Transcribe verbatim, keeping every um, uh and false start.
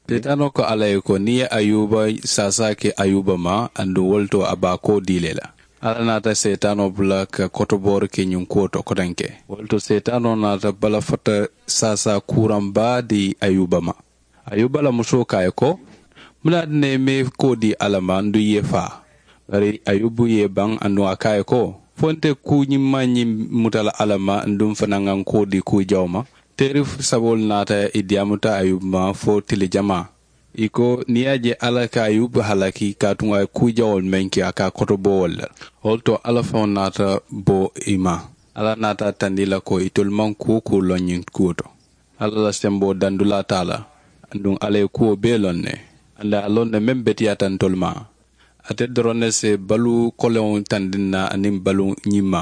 Seetaanoo ko alla ye ko niŋ i ye ayuba saasaa ke ayuba ma aduŋ wo le to a be a koo dii le la. Alla naata seetaanoo bula ka kotoboori ke ñiŋ kuwo to kotenke. Wo le to seetaanoo naata bala fota saasaa kuuraŋ baa dii ayuba ma. Ayuba la musoo ko a ye ko, munaati ne i maŋ i koo dii alla ma aduŋ i ye faa? Bari ayubu ye i baŋ aduŋ a ko a ye ko, fo nte kuu ñiŋ maŋ ñiŋ muta la alla ma aduŋ fanaa ŋa n koo dii kuu jawo ma? Teeri saboolu naata i diyaamuta ayubu ma fo tili jamaa. I ko niŋ i ye a je alla ka ayubu halaki kaatu a ye kuu jawoolu meŋ ke a ka a koto bo wo le la. Wo le to alla faŋo naata bo i ma. Alla naata a tandi i la ko itolu maŋ kuu kuu loŋ ñiŋ kuwo to. Alla la semboo dandulaa te a la. Aduŋ alla ye kuwo bee loŋ ne. Aduŋ a ye a loŋ ne meŋ beteyaata ntolu ma. Ate doroŋ ne si baluu koleŋo tandi n na aniŋ baluu ñiŋ ma.